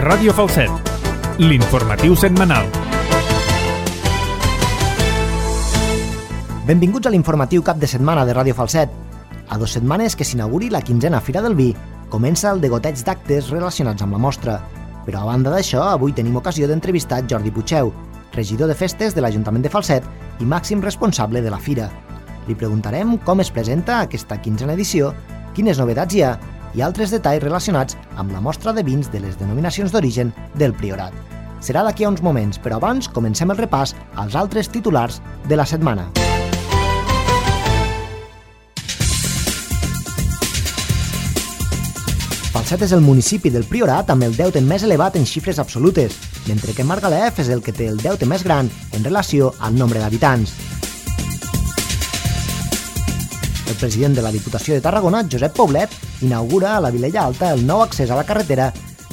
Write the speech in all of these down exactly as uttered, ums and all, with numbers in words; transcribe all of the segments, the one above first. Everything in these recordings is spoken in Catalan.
Ràdio Falset, l'informatiu setmanal. Benvinguts a l'informatiu cap de setmana de Ràdio Falset. A dues setmanes que s'inauguri la quinzena Fira del Vi, comença el degoteig d'actes relacionats amb la mostra. Però a banda d'això, avui tenim ocasió d'entrevistar Jordi Pucheu, regidor de festes de l'Ajuntament de Falset i màxim responsable de la fira. Li preguntarem com es presenta aquesta quinzena edició, quines novetats hi ha i altres detalls relacionats amb la mostra de vins de les denominacions d'origen del Priorat. Serà d'aquí a uns moments, però abans comencem el repàs als altres titulars de la setmana. Falset és el municipi del Priorat amb el deute més elevat en xifres absolutes, mentre que Margalef és el que té el deute més gran en relació al nombre d'habitants. El president de la Diputació de Tarragona, Josep Poblet, inaugura a la Vilella Alta el nou accés a la carretera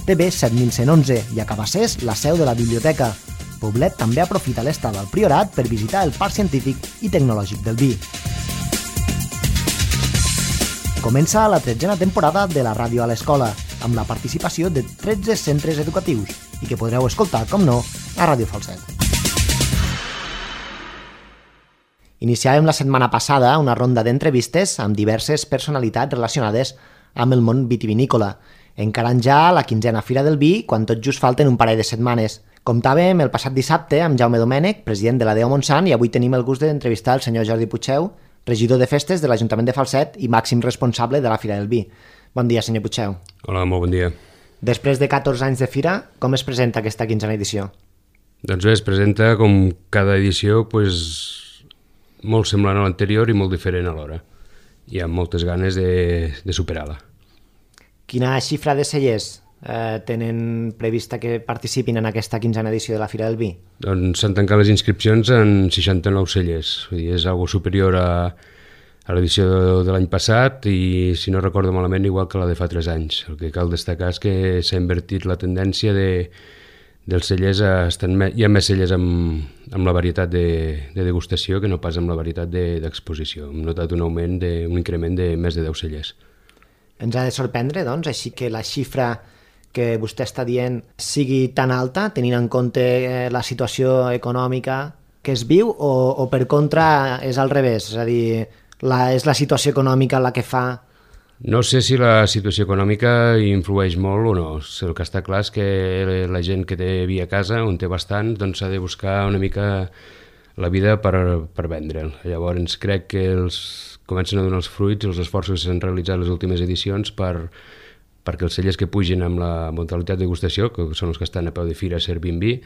T B set mil cent onze i a Cabassers la seu de la biblioteca. Poblet també aprofita l'estada al Priorat per visitar el Parc Científic i Tecnològic del Vi. Comença la tretzena temporada de la ràdio a l'escola, amb la participació de tretze centres educatius i que podreu escoltar, com no, a Ràdio Falset. Iniciàvem la setmana passada una ronda d'entrevistes amb diverses personalitats relacionades amb el món vitivinícola, encarant ja la quinzena Fira del Vi quan tot just falten un parell de setmanes. Comptàvem el passat dissabte amb Jaume Domènech, president de la D E O Montsant, i avui tenim el gust d'entrevistar el senyor Jordi Pucheu, regidor de festes de l'Ajuntament de Falset i màxim responsable de la Fira del Vi. Bon dia, senyor Pucheu. Hola, molt bon dia. Després de catorze anys de fira, com es presenta aquesta quinzena edició? Doncs bé, es presenta com cada edició pues, molt semblant a l'anterior i molt diferent alhora. Hi ha moltes ganes de, de superar-la. Quina xifra de cellers eh, tenen prevista que participin en aquesta quinzena edició de la Fira del Vi? Doncs s'han tancat les inscripcions en seixanta-nou cellers. Vull dir, és algo superior a, a l'edició de, de l'any passat i, si no recordo malament, igual que la de fa tres anys. El que cal destacar és que s'ha invertit la tendència de dels cellers, estan, hi ha més cellers amb, amb la varietat de, de degustació que no pas amb la varietat d'exposició. De, Hem notat un augment, de, un increment de més de deu cellers. Ens ha de sorprendre, doncs, així que la xifra que vostè està dient sigui tan alta, tenint en compte la situació econòmica que es viu, o, o per contra és al revés? És a dir, la, és la situació econòmica la que fa... No sé si la situació econòmica influeix molt o no. El que està clar és que la gent que té vi a casa, on té bastant, doncs s'ha de buscar una mica la vida per, per vendre'l. Llavors crec que els, comencen a donar els fruits, els esforços que s'han realitzat les últimes edicions per, perquè els cellers que pugin amb la modalitat de degustació, que són els que estan a peu de fira servint vi,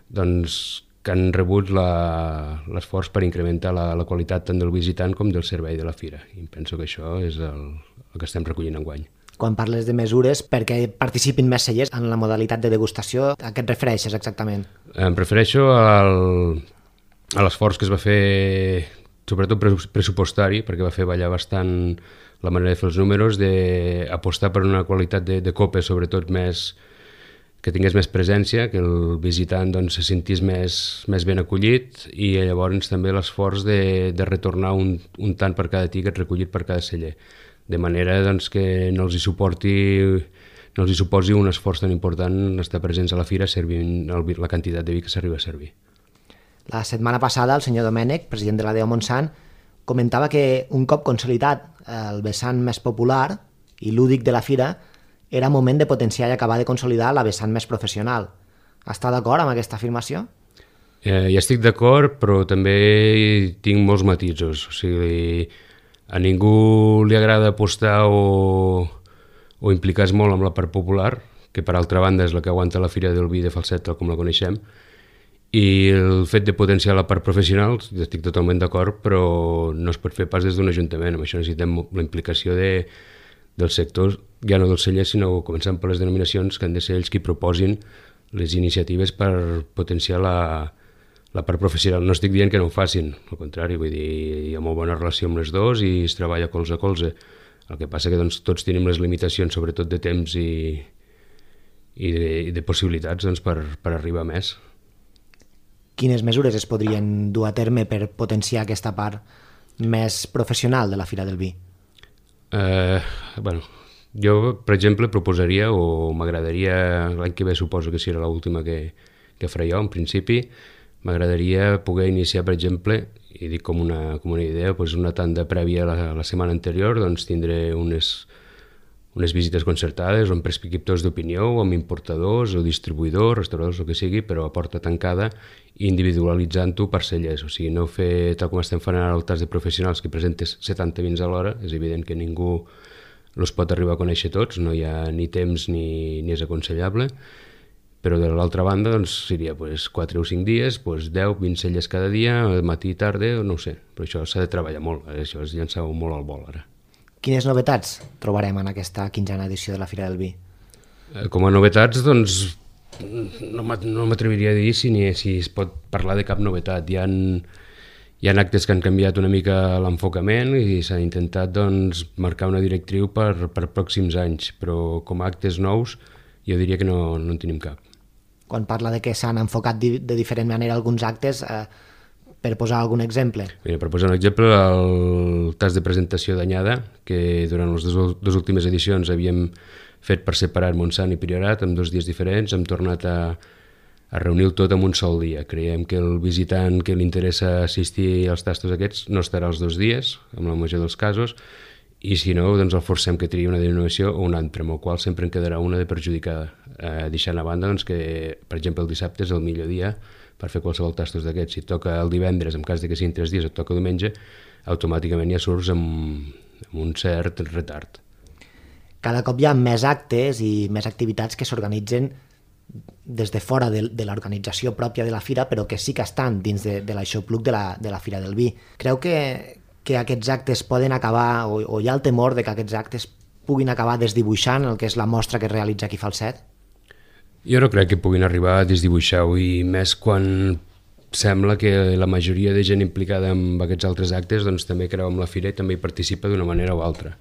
doncs que han rebut l'esforç per incrementar la, la qualitat tant del visitant com del servei de la fira. I penso que això és el, el que estem recollint enguany. Quan parles de mesures perquè participin més cellers en la modalitat de degustació, a què et refereixes exactament? Em refereixo al, a l'esforç que es va fer, sobretot pressupostari, perquè va fer ballar bastant la manera de fer els números, d'apostar per una qualitat de, de copes, sobretot més... que tingués més presència, que el visitant doncs, se sentís més, més ben acollit i llavors també l'esforç de, de retornar un, un tant per cada tiquet recollit per cada celler, de manera doncs, que no els hi suporti, no els hi suposi un esforç tan important estar presents a la fira servint el, la quantitat de vi que s'arriba a servir. La setmana passada el senyor Domènech, president de la D E O Montsant, comentava que un cop consolidat el vessant més popular i lúdic de la fira, era moment de potenciar i acabar de consolidar la vessant més professional. Està d'acord amb aquesta afirmació? Eh, ja estic d'acord, però també tinc molts matisos. O sigui, a ningú li agrada apostar o, o implicar-se molt amb la part popular, que per altra banda és la que aguanta la Fira del Vi de Falset, tal com la coneixem, i el fet de potenciar la part professional, estic totalment d'acord, però no es pot fer pas des d'un ajuntament. Amb això necessitem la implicació de dels sectors, ja no dels cellers, sinó començant per les denominacions, que han de ser ells qui proposin les iniciatives per potenciar la, la part professional. No estic dient que no ho facin, al contrari, vull dir, hi ha molt bona relació amb les dues i es treballa colze a colze. El que passa que doncs, tots tenim les limitacions, sobretot de temps i, i, de, i de possibilitats doncs, per, per arribar a més. Quines mesures es podrien dur a terme per potenciar aquesta part més professional de la Fira del Vi? Eh, bueno, Jo, per exemple, proposaria, o m'agradaria, l'any que ve suposo que serà l'última que, que faré jo, en principi, m'agradaria poder iniciar, per exemple, i dic com una, com una idea, doncs una tanda prèvia a la, la setmana anterior, doncs tindré unes, unes visites concertades o amb prescriptors d'opinió o amb importadors o distribuïdors, restauradors, el que sigui, però a porta tancada, individualitzant-ho per cellers. O sigui, no fer tal com estem fent ara el tas de professionals que presentes setanta vins a l'hora, és evident que ningú els pot arribar a conèixer tots, no hi ha ni temps ni, ni és aconsellable, però de l'altra banda doncs, seria pues, quatre o cinc dies, pues, deu, vint celles cada dia, matí i tarda, no ho sé, però això s'ha de treballar molt, això és llançar molt al vol ara. Quines novetats trobarem en aquesta quinzena edició de la Fira del Vi? Com a novetats, doncs, no m'atreviria a dir si, ni, si es pot parlar de cap novetat. Hi ha, hi ha actes que han canviat una mica l'enfocament i s'ha intentat doncs, marcar una directriu per, per pròxims anys, però com a actes nous jo diria que no, no en tenim cap. Quan parla de que s'han enfocat de, de diferent manera alguns actes, eh, per posar algun exemple? Mira, per posar un exemple, el tas de presentació d'anyada, que durant les dues, dues últimes edicions havíem fet per separat Montsant i Priorat, en dos dies diferents, hem tornat a, a reunir-ho tot en un sol dia. Creiem que el visitant que li interessa assistir als tastos aquests no estarà els dos dies, en la major dels casos, i si no, doncs el forcem que tria una denominació o un altre, amb el qual sempre en quedarà una de perjudicada, eh, deixant a banda doncs, que, per exemple, el dissabte és el millor dia per fer qualsevol tastos d'aquests. Si et toca el divendres, en cas de que siguin tres dies, et toca diumenge, automàticament ja surts amb, amb un cert retard. Cada cop hi ha més actes i més activitats que s'organitzen des de fora de, de l'organització pròpia de la fira, però que sí que estan dins de, de l'aixopluc de la, de la Fira del Vi. Creu que, que aquests actes poden acabar, o, o hi ha el temor de que aquests actes puguin acabar desdibuixant el que és la mostra que es realitza aquí a Falset? Jo no crec que puguin arribar a desdibuixar-ho, i més quan sembla que la majoria de gent implicada en aquests altres actes doncs, també creu en la fira i també hi participa d'una manera o altra.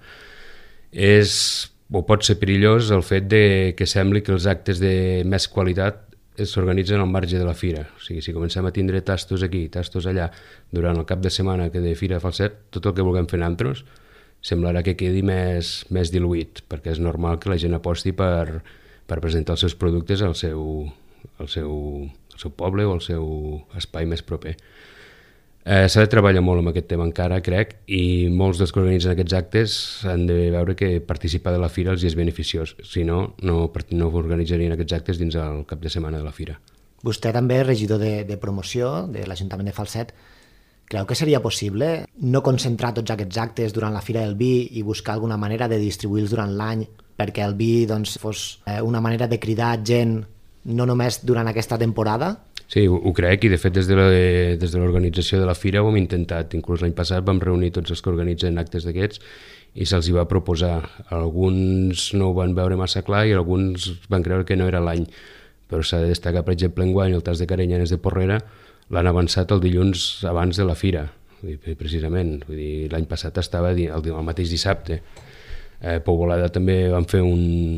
És, o pot ser perillós el fet de que sembli que els actes de més qualitat s'organitzen al marge de la fira. O sigui, si comencem a tindre tastos aquí, tastos allà, durant el cap de setmana que de Fira de Falset, tot el que vulguem fer nosaltres semblarà que quedi més, més diluït, perquè és normal que la gent aposti per, per presentar els seus productes al seu, al seu, al seu poble o al seu espai més proper. Eh, s'ha de treballar molt amb aquest tema encara, crec, i molts dels que organitzen aquests actes han de veure que participar de la fira els és beneficiós, si no, no, no organitzarien aquests actes dins el cap de setmana de la fira. Vostè també és regidor de, de promoció de l'Ajuntament de Falset. Creu que seria possible no concentrar tots aquests actes durant la Fira del Vi i buscar alguna manera de distribuir-los durant l'any perquè el vi doncs, fos una manera de cridar gent no només durant aquesta temporada? Sí, ho, ho crec, i de fet des de, la, des de l'organització de la fira ho hem intentat. Inclús l'any passat vam reunir tots els que organitzen actes d'aquests i se'ls hi va proposar. Alguns no ho van veure massa clar i alguns van creure que no era l'any. Però s'ha de destacar, per exemple, enguany el tas de Carenyanes de Porrera l'han avançat el dilluns abans de la fira, precisament. Vull dir, l'any passat estava el, el mateix dissabte. Eh, Pou Volada també van fer un...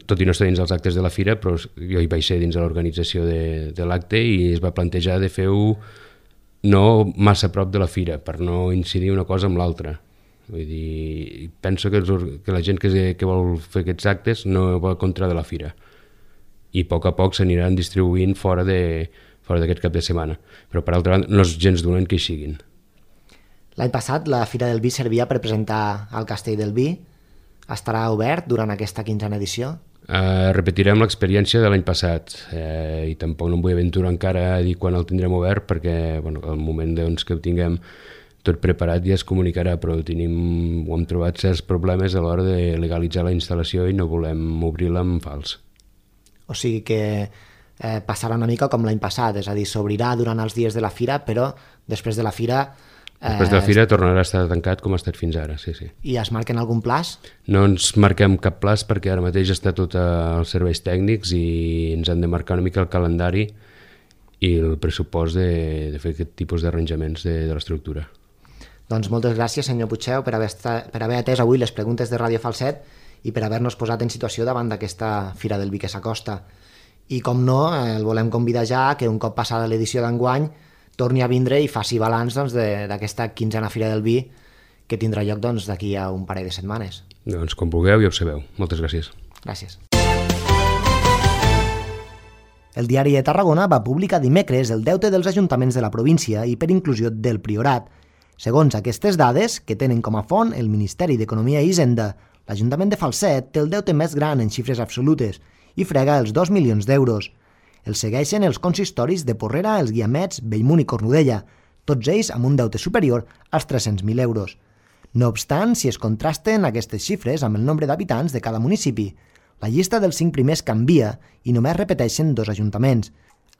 tot i no estar dins els actes de la fira, però jo hi vaig ser dins de l'organització de, de l'acte i es va plantejar de fer-ho no massa a prop de la fira, per no incidir una cosa amb l'altra. Vull dir, penso que, els, que la gent que, que vol fer aquests actes no va contra de la fira i a poc a poc s'aniran distribuint fora de, fora d'aquest cap de setmana, però per altra banda no és gens dolent que hi siguin. L'any passat la Fira del Vi servia per presentar el Castell del Vi. Estarà obert durant aquesta quinzena edició? Uh, repetirem l'experiència de l'any passat eh, i tampoc no em vull aventurar encara a dir quan el tindrem obert perquè bueno, al moment doncs, que ho tinguem tot preparat ja es comunicarà, però tenim, ho hem trobat certs problemes a l'hora de legalitzar la instal·lació i no volem obrir-la en fals. O sigui que eh, passarà una mica com l'any passat, és a dir, s'obrirà durant els dies de la fira, però després de la fira... Després de la fira tornarà a estar tancat com ha estat fins ara, sí, sí. I es marquen algun plaç? No ens marquem cap plaç perquè ara mateix està tot als serveis tècnics i ens han de marcar una mica el calendari i el pressupost de, de fer aquest tipus d'arranjaments de, de l'estructura. Doncs moltes gràcies, senyor Puigxeu, per haver, estat, per haver atès avui les preguntes de Ràdio Falset i per haver-nos posat en situació davant d'aquesta Fira del Vi que s'acosta. I com no, el volem convidar ja que un cop passada l'edició d'enguany torni a vindre i faci balanç doncs, d'aquesta quinzena Fira del Vi que tindrà lloc doncs, d'aquí a un parell de setmanes. Doncs com vulgueu ja ho sabeu. Moltes gràcies. Gràcies. El Diari de Tarragona va publicar dimecres el deute dels ajuntaments de la província i per inclusió del Priorat. Segons aquestes dades, que tenen com a font el Ministeri d'Economia i Hisenda, l'Ajuntament de Falset té el deute més gran en xifres absolutes i frega els dos milions d'euros. El segueixen els consistoris de Porrera, els Guiamets, Bellmunt i Cornudella, tots ells amb un deute superior als tres-cents mil euros. No obstant, si es contrasten aquestes xifres amb el nombre d'habitants de cada municipi, la llista dels cinc primers canvia i només repeteixen dos ajuntaments.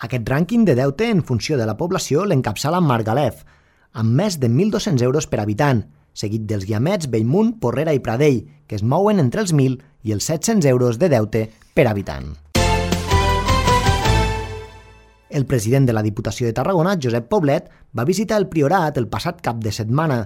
Aquest rànquing de deute en funció de la població l'encapçala Margalef, amb més de mil dos-cents euros per habitant, seguit dels Guiamets, Bellmunt, Porrera i Pradell, que es mouen entre els mil i els set-cents euros de deute per habitant. El president de la Diputació de Tarragona, Josep Poblet, va visitar el Priorat el passat cap de setmana.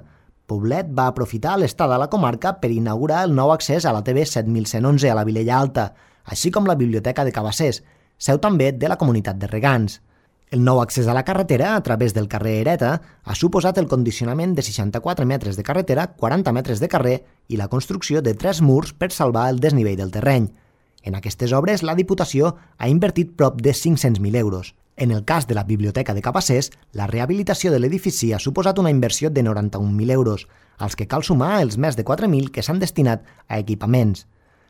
Poblet va aprofitar l'estada a la comarca per inaugurar el nou accés a la T V set mil cent onze a la Vilella Alta, així com la Biblioteca de Cabassers, seu també de la comunitat de regants. El nou accés a la carretera a través del carrer Hereta ha suposat el condicionament de seixanta-quatre metres de carretera, quaranta metres de carrer i la construcció de tres murs per salvar el desnivell del terreny. En aquestes obres, la Diputació ha invertit prop de cinc-cents mil euros. En el cas de la Biblioteca de Cabassers, la rehabilitació de l'edifici ha suposat una inversió de noranta-un mil euros, als que cal sumar els més de quatre mil que s'han destinat a equipaments.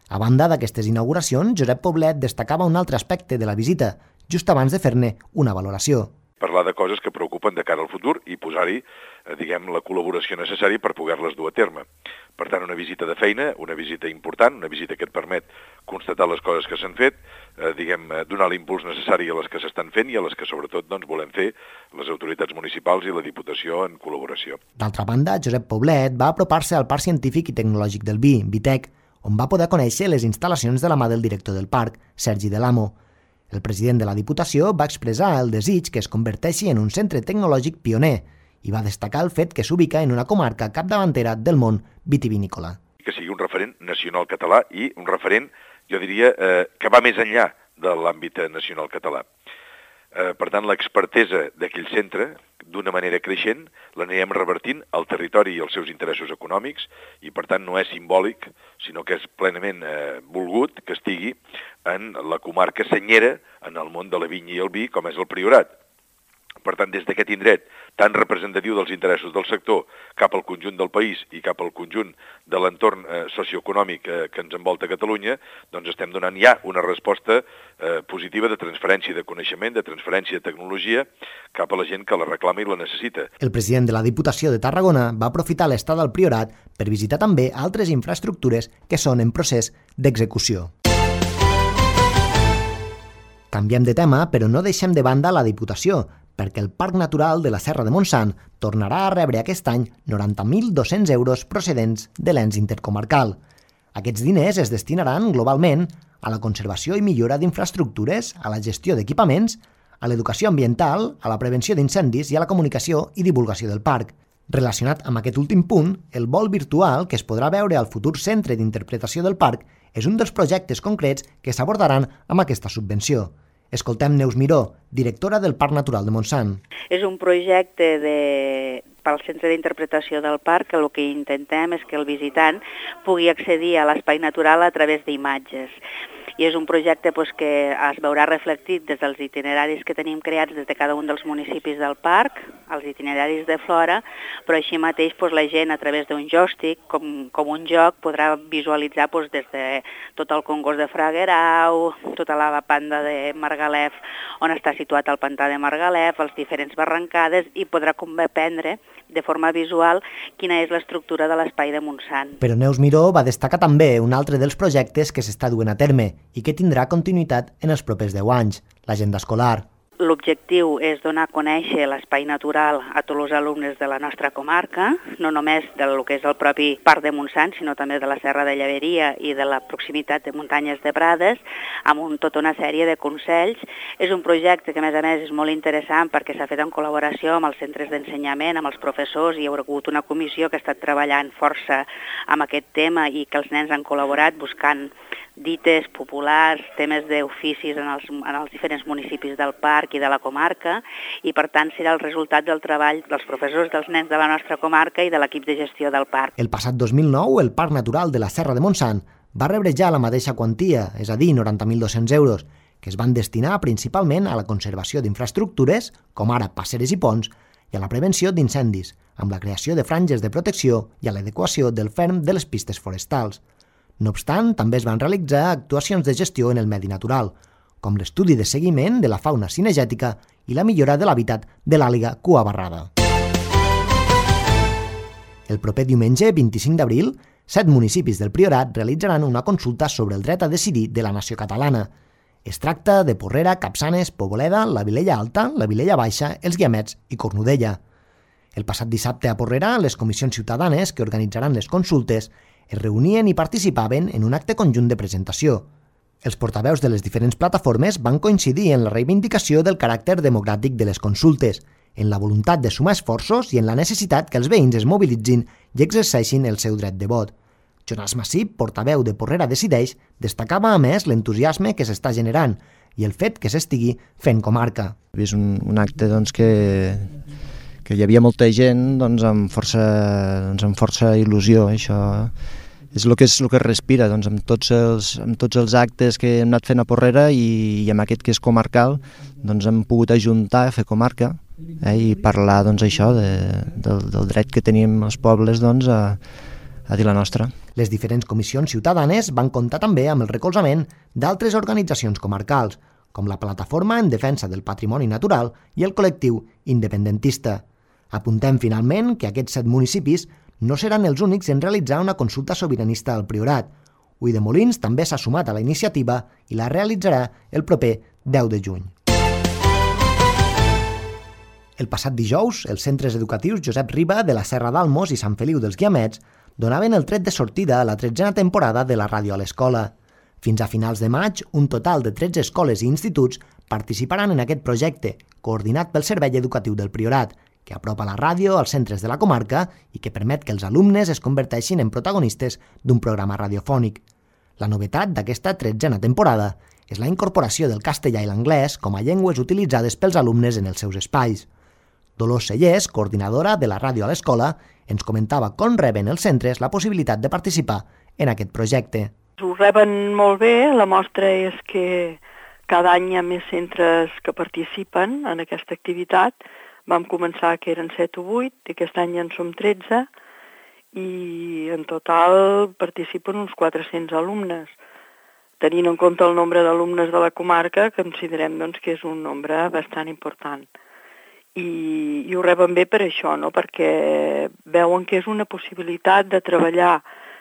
A banda d'aquestes inauguracions, Josep Poblet destacava un altre aspecte de la visita, just abans de fer-ne una valoració. Parlar de coses que preocupen de cara al futur i posar-hi, eh, diguem, la col·laboració necessària per poder-les dur a terme. Per tant, una visita de feina, una visita important, una visita que et permet constatar les coses que s'han fet, eh, diguem, donar l'impuls necessari a les que s'estan fent i a les que sobretot doncs, volem fer les autoritats municipals i la Diputació en col·laboració. D'altra banda, Josep Poblet va apropar-se al Parc Científic i Tecnològic del Vi, Vitec, on va poder conèixer les instal·lacions de la mà del director del parc, Sergi Delamo. El president de la Diputació va expressar el desig que es converteixi en un centre tecnològic pioner i va destacar el fet que s'ubica en una comarca capdavantera del món vitivinícola. Que sigui un referent nacional català i un referent, jo diria, eh, que va més enllà de l'àmbit nacional català. Eh, per tant, l'expertesa d'aquell centre, d'una manera creixent, l'anirem revertint al territori i als seus interessos econòmics i, per tant, no és simbòlic, sinó que és plenament eh, volgut que estigui en la comarca senyera en el món de la vinya i el vi, com és el Priorat. Per tant, des d'aquest indret tan representatiu dels interessos del sector cap al conjunt del país i cap al conjunt de l'entorn eh, socioeconòmic eh, que ens envolta Catalunya, doncs estem donant ja una resposta eh, positiva de transferència de coneixement, de transferència de tecnologia cap a la gent que la reclama i la necessita. El president de la Diputació de Tarragona va aprofitar l'estada al Priorat per visitar també altres infraestructures que són en procés d'execució. Canviem de tema, però no deixem de banda la Diputació, perquè el Parc Natural de la Serra de Montsant tornarà a rebre aquest any noranta mil dos-cents euros procedents de l'ens intercomarcal. Aquests diners es destinaran globalment a la conservació i millora d'infraestructures, a la gestió d'equipaments, a l'educació ambiental, a la prevenció d'incendis i a la comunicació i divulgació del parc. Relacionat amb aquest últim punt, el vol virtual que es podrà veure al futur centre d'interpretació del parc és un dels projectes concrets que s'abordaran amb aquesta subvenció. Escoltem Neus Miró, directora del Parc Natural de Montsant. És un projecte de... pel Centre d'Interpretació del Parc, que el que intentem és que el visitant pugui accedir a l'espai natural a través d'imatges. I és un projecte doncs, que es veurà reflectit des dels itineraris que tenim creats des de cada un dels municipis del parc, els itineraris de flora, però així mateix doncs, la gent a través d'un joystick, com, com un joc, podrà visualitzar doncs, des de tot el Congost de Fraguerau, tota la banda de Margalef, on està situat el pantà de Margalef, les diferents barrancades, i podrà comprendre de forma visual quina és l'estructura de l'espai de Montsant. Però Neus Miró va destacar també un altre dels projectes que s'està duent a terme i que tindrà continuïtat en els propers deu anys, l'agenda escolar. L'objectiu és donar a conèixer l'espai natural a tots els alumnes de la nostra comarca, no només del que és el propi Parc de Montsant, sinó també de la Serra de Llaveria i de la proximitat de Muntanyes de Prades, amb un, tota una sèrie de consells. És un projecte que, a més a més, és molt interessant perquè s'ha fet en col·laboració amb els centres d'ensenyament, amb els professors, i hi ha hagut una comissió que ha estat treballant força amb aquest tema i que els nens han col·laborat buscant dites populars, temes d'oficis en els, en els diferents municipis del parc i de la comarca, i per tant serà el resultat del treball dels professors, dels nens de la nostra comarca i de l'equip de gestió del parc. El passat dos mil nou, el Parc Natural de la Serra de Montsant va rebre ja la mateixa quantia, és a dir, noranta mil dos-cents euros, que es van destinar principalment a la conservació d'infraestructures, com ara passeres i ponts, i a la prevenció d'incendis, amb la creació de franges de protecció i a l'adequació del ferm de les pistes forestals. No obstant, també es van realitzar actuacions de gestió en el medi natural, com l'estudi de seguiment de la fauna cinegètica i la millora de l'hàbitat de l'àliga cuabarrada. El proper diumenge, vint-i-cinc d'abril, set municipis del Priorat realitzaran una consulta sobre el dret a decidir de la nació catalana. Es tracta de Porrera, Capçanes, Poboleda, la Vilella Alta, la Vilella Baixa, els Guiamets i Cornudella. El passat dissabte a Porrera, les comissions ciutadanes que organitzaran les consultes es reunien i participaven en un acte conjunt de presentació. Els portaveus de les diferents plataformes van coincidir en la reivindicació del caràcter democràtic de les consultes, en la voluntat de sumar esforços i en la necessitat que els veïns es mobilitzin i exerceixin el seu dret de vot. Jonas Massip, portaveu de Porrera Decideix, destacava a més l'entusiasme que s'està generant i el fet que s'estigui fent comarca. És un, un acte doncs, que, que hi havia molta gent doncs, amb, força, doncs, amb força il·lusió. Això és el que, és el que es respira doncs, amb, tots els, amb tots els actes que hem anat fent a Porrera i, i amb aquest que és comarcal doncs, hem pogut ajuntar a fer comarca eh, i parlar doncs, això de, del, del dret que tenim els pobles doncs, a, a dir la nostra. Les diferents comissions ciutadanes van comptar també amb el recolzament d'altres organitzacions comarcals, com la Plataforma en Defensa del Patrimoni Natural i el col·lectiu independentista. Apuntem finalment que aquests set municipis no seran els únics en realitzar una consulta sobiranista al Priorat. Ulldemolins també s'ha sumat a la iniciativa i la realitzarà el proper deu de juny. El passat dijous, els centres educatius Josep Riba de la Serra d'Almos i Sant Feliu dels Guiamets donaven el tret de sortida a la tretzena temporada de la ràdio a l'escola. Fins a finals de maig, un total de tretze escoles i instituts participaran en aquest projecte, coordinat pel Servei Educatiu del Priorat, que apropa la ràdio als centres de la comarca i que permet que els alumnes es converteixin en protagonistes d'un programa radiofònic. La novetat d'aquesta tretzena temporada és la incorporació del castellà i l'anglès com a llengües utilitzades pels alumnes en els seus espais. Dolors Sellers, coordinadora de la ràdio a l'escola, ens comentava com reben els centres la possibilitat de participar en aquest projecte. Ho reben molt bé, la mostra és que cada any hi ha més centres que participen en aquesta activitat. Vam començar que eren set o vuit, i aquest any ja en som tretze, i en total participen uns quatre-cents alumnes. Tenint en compte el nombre d'alumnes de la comarca, considerem doncs, que és un nombre bastant important. I, i ho reben bé per això, no? Perquè veuen que és una possibilitat de treballar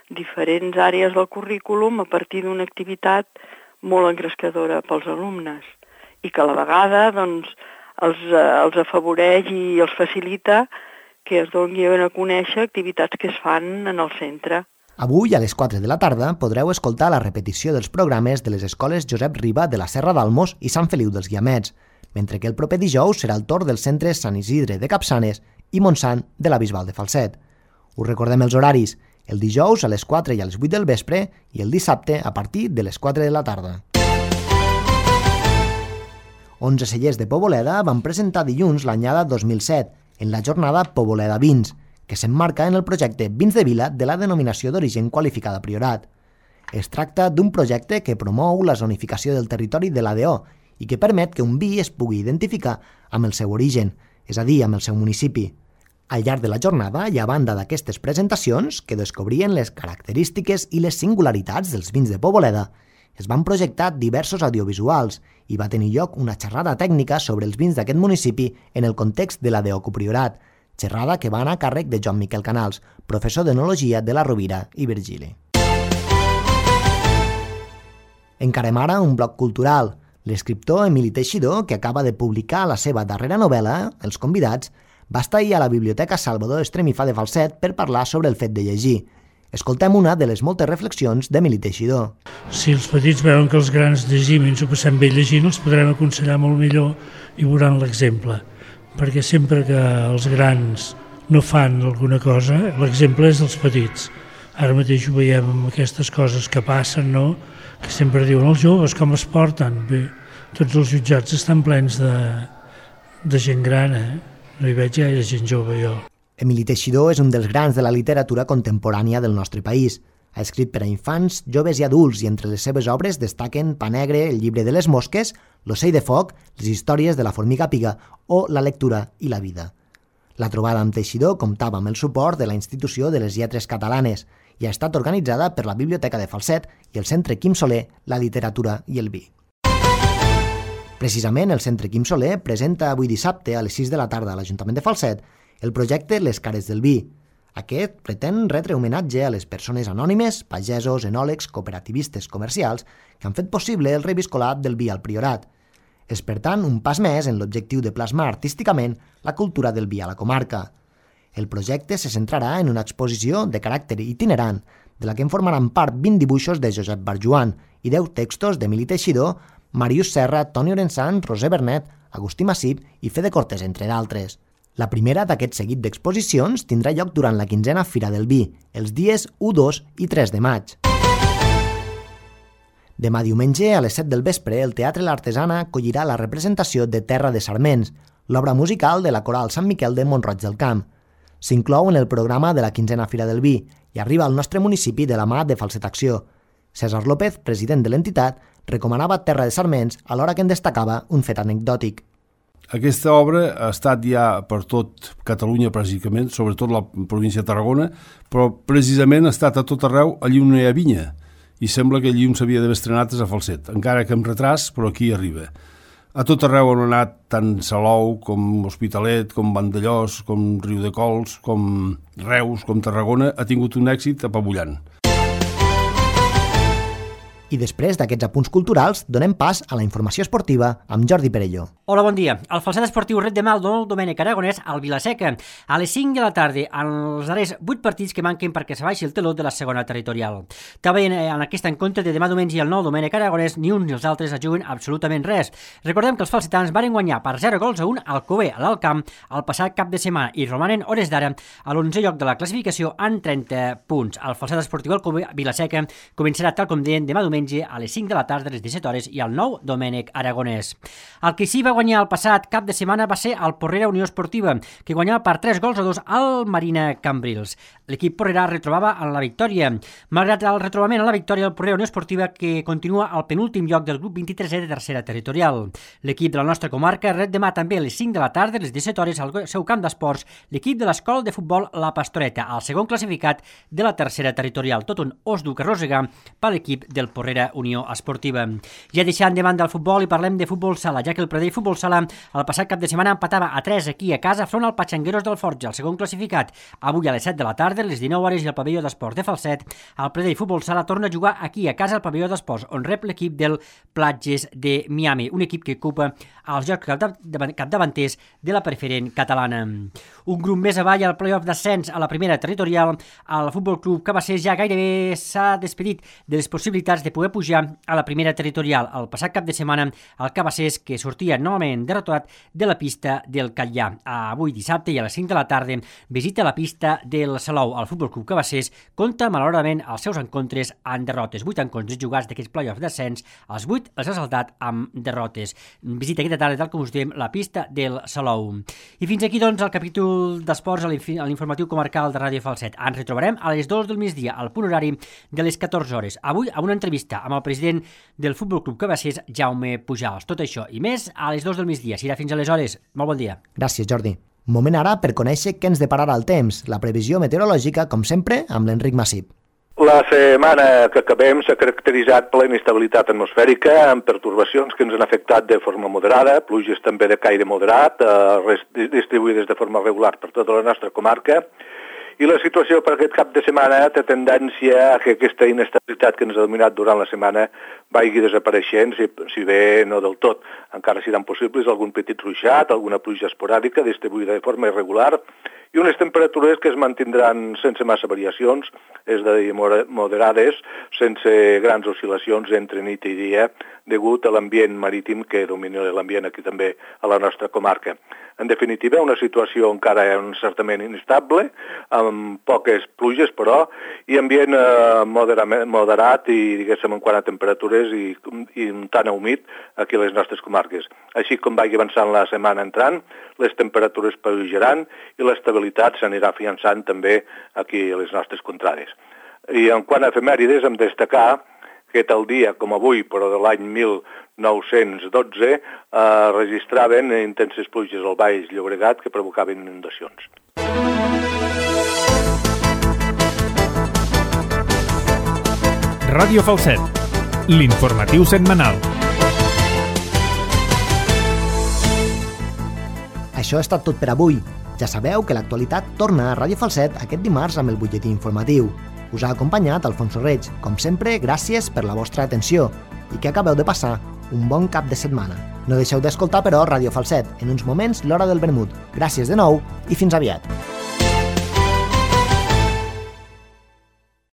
diferents àrees del currículum a partir d'una activitat molt engrescadora pels alumnes i que a la vegada doncs, els, els afavoreix i els facilita que es donin a conèixer activitats que es fan en el centre. Avui, a les quatre de la tarda, podreu escoltar la repetició dels programes de les escoles Josep Riba de la Serra d'Almos i Sant Feliu dels Guiamets, mentre que el proper dijous serà el torn dels centres Sant Isidre de Capçanes i Montsant de la Bisbal de Falset. Us recordem els horaris: el dijous a les quatre i a les vuit del vespre i el dissabte a partir de les quatre de la tarda. onze cellers de Poboleda van presentar dilluns l'anyada dos mil set en la jornada Poboleda Vins, que s'emmarca en el projecte Vins de Vila de la denominació d'origen qualificada Priorat. Es tracta d'un projecte que promou la zonificació del territori de l'A D O i que permet que un vi es pugui identificar amb el seu origen, és a dir, amb el seu municipi. Al llarg de la jornada, i a banda d'aquestes presentacions, que descobrien les característiques i les singularitats dels vins de Poboleda, es van projectar diversos audiovisuals i va tenir lloc una xerrada tècnica sobre els vins d'aquest municipi en el context de l'A D O Copriorat, xerrada que va anar a càrrec de Joan Miquel Canals, professor d'Enologia de la Rovira i Virgili. Encarem ara un bloc cultural. L'escriptor Emili Teixidor, que acaba de publicar la seva darrera novel·la, Els convidats, va estar ahir a la Biblioteca Salvador Estremifà de Falset per parlar sobre el fet de llegir. Escoltem una de les moltes reflexions d'Emili Teixidor. Si els petits veuen que els grans llegim i ens ho passem bé llegint, els podrem aconsellar molt millor i veuran l'exemple. Perquè sempre que els grans no fan alguna cosa, l'exemple és dels petits. Ara mateix ho veiem amb aquestes coses que passen, no? Que sempre diuen els joves com es porten. Bé, tots els jutjats estan plens de, de gent gran, eh? No hi veig gaire gent jove, jo. Emili Teixidor és un dels grans de la literatura contemporània del nostre país. Ha escrit per a infants, joves i adults i entre les seves obres destaquen Pa Negre, El llibre de les mosques, L'ocell de foc, Les històries de la formiga piga o La lectura i la vida. La trobada amb Teixidor comptava amb el suport de la Institució de les Lletres Catalanes i ha estat organitzada per la Biblioteca de Falset i el Centre Quim Soler, la literatura i el vi. Precisament el Centre Quim Soler presenta avui dissabte a les sis de la tarda a l'Ajuntament de Falset el projecte Les cares del vi. Aquest pretén retre homenatge a les persones anònimes, pagesos, enòlegs, cooperativistes comercials que han fet possible el reviscolat del vi al Priorat. És, per tant, un pas més en l'objectiu de plasmar artísticament la cultura del vi a la comarca. El projecte se centrarà en una exposició de caràcter itinerant, de la que en formaran part vint dibuixos de Josep Barjuan i deu textos d'Emili Teixidor, Màrius Serra, Toni Orensan, Roser Bernet, Agustí Massip i Fede Cortés, entre d'altres. La primera d'aquest seguit d'exposicions tindrà lloc durant la quinzena Fira del Vi, els dies u, dos i tres de maig. Demà diumenge, a les set del vespre, el Teatre L'Artesana acollirà la representació de Terra de Sarments, l'obra musical de la Coral Sant Miquel de Mont-roig del Camp. S'inclou en el programa de la quinzena Fira del Vi i arriba al nostre municipi de la mà de Falset Acció. César López, president de l'entitat, recomanava Terra de Sarments alhora que en destacava un fet anecdòtic. Aquesta obra ha estat ja per tot Catalunya, pràcticament, sobretot la província de Tarragona, però precisament ha estat a tot arreu allí on hi ha vinya, i sembla que allí on s'havia d'haver estrenat és a Falset, encara que amb retras, però aquí arriba. A tot arreu on ha anat tant Salou com Hospitalet, com Vandellós, com Riudecols, com Reus, com Tarragona, ha tingut un èxit apabullant. I després d'aquests apunts culturals, donem pas a la informació esportiva amb Jordi Perelló. Hola, bon dia. El Falset Esportiu ret demà el nou Domènec Aragonès al Vilaseca. A les cinc de la tarda, en els darrers vuit partits que manquen perquè se baixi el teló de la segona territorial. També en aquest encontre de demà diumenge i el nou Domènec Aragonès, ni uns ni els altres es juguen absolutament res. Recordem que els falsetans varen guanyar per zero gols a un al Alcover, a l'Alt Camp, el passat cap de setmana i romanen hores d'ara a l'onzè lloc de la classificació en trenta punts. El Falset Esportiu Alcover Vilaseca començarà, tal com deien, demà diumenge a les cinc de la tarda, a les disset hores, i el nou Domènec Aragonès. El que sí va guanyar el passat cap de setmana va ser el Porrera Unió Esportiva, que guanyava per tres gols a dos al Marina Cambrils. L'equip porrerà retrobava en la victòria. Malgrat el retrobament a la victòria, el Porrera Unió Esportiva que continua al penúltim lloc del grup vint-i-tresè de tercera territorial. L'equip de la nostra comarca ret demà també a les cinc de la tarda, a les disset hores, al seu camp d'esports, l'equip de l'escola de futbol La Pastoreta, el segon classificat de la tercera territorial. Tot un os dur que arrossegar per l'equip del Porrera Unió Esportiva. Ja deixant de banda el futbol i parlem de futbol sala, ja que el Pradell Futbol Sala el passat cap de setmana empatava a tres aquí a casa front al Patxangueros del Forja, el segon classificat. Avui a les set de la tarda, a les dinou hores, i al pavelló d'esports de Falset, el Pradell Futbol Sala torna a jugar aquí a casa al pavelló d'esports, on rep l'equip del Platges de Miami, un equip que ocupa els jocs capdavanters de la preferent catalana. Un grup més avall al playoff d'ascens a la primera territorial, el Futbol Club Cabassers ja gairebé s'ha despedit de les possibilitats de poder pujar a la primera territorial. El passat cap de setmana, el Cabassers, que sortia novament derrotat de la pista del Catllà. Avui dissabte i a les cinc de la tarda visita la pista del Salou. El Futbol Club Cabassers compta malauradament els seus encontres en derrotes. Vuit encontres jugats d'aquests playoffs d'ascens, els vuit els ha saltat amb derrotes. Visita aquesta tarda, tal com us diem, la pista del Salou. I fins aquí, doncs, el capítol d'esports a l'informatiu comarcal de Ràdio Falset. Ens retrobarem a les dues del migdia, al punt horari de les catorze hores. Avui, a una entrevista amb el president del Futbol Club Cabassers, Jaume Pujals. Tot això i més a les dues del migdia. Serà fins aleshores. Molt bon dia. Gràcies, Jordi. Moment ara per conèixer què ens depararà el temps, la previsió meteorològica, com sempre, amb l'Enric Massip. La setmana que acabem s'ha caracteritzat per la inestabilitat atmosfèrica, amb pertorbacions que ens han afectat de forma moderada, pluges també de caire moderat, eh, distribuïdes de forma regular per tota la nostra comarca, i la situació per aquest cap de setmana té tendència a que aquesta inestabilitat que ens ha dominat durant la setmana vagi desapareixent, si, si bé no del tot. Encara seran possibles algun petit ruixat, alguna pluja esporàdica distribuïda de forma irregular i unes temperatures que es mantindran sense massa variacions, és de dir, moderades, sense grans oscil·lacions entre nit i dia, degut a l'ambient marítim que domina l'ambient aquí també a la nostra comarca. En definitiva, una situació encara certament inestable, amb poques pluges, però, i ambient eh, moderat i, diguéssim, en quant a temperatures i, i tan humit aquí a les nostres comarques. Així com vagi avançant la setmana entrant, les temperatures pujaran i l'estabilitat s'anirà afiançant també aquí a les nostres contrades. I en quant a efemèrides, hem de destacar que tal dia com avui, però de l'any mil nou-cents dotze, eh, registraven intenses pluges al Baix Llobregat que provocaven inundacions. Ràdio Falset, l'informatiu setmanal. Això ha estat tot per avui. Ja sabeu que l'actualitat torna a Ràdio Falset aquest dimarts amb el butlletí informatiu. Us ha acompanyat Alfonso Reig. Com sempre, gràcies per la vostra atenció i que acabeu de passar un bon cap de setmana. No deixeu d'escoltar, però, Ràdio Falset. En uns moments, l'hora del vermut. Gràcies de nou i fins aviat.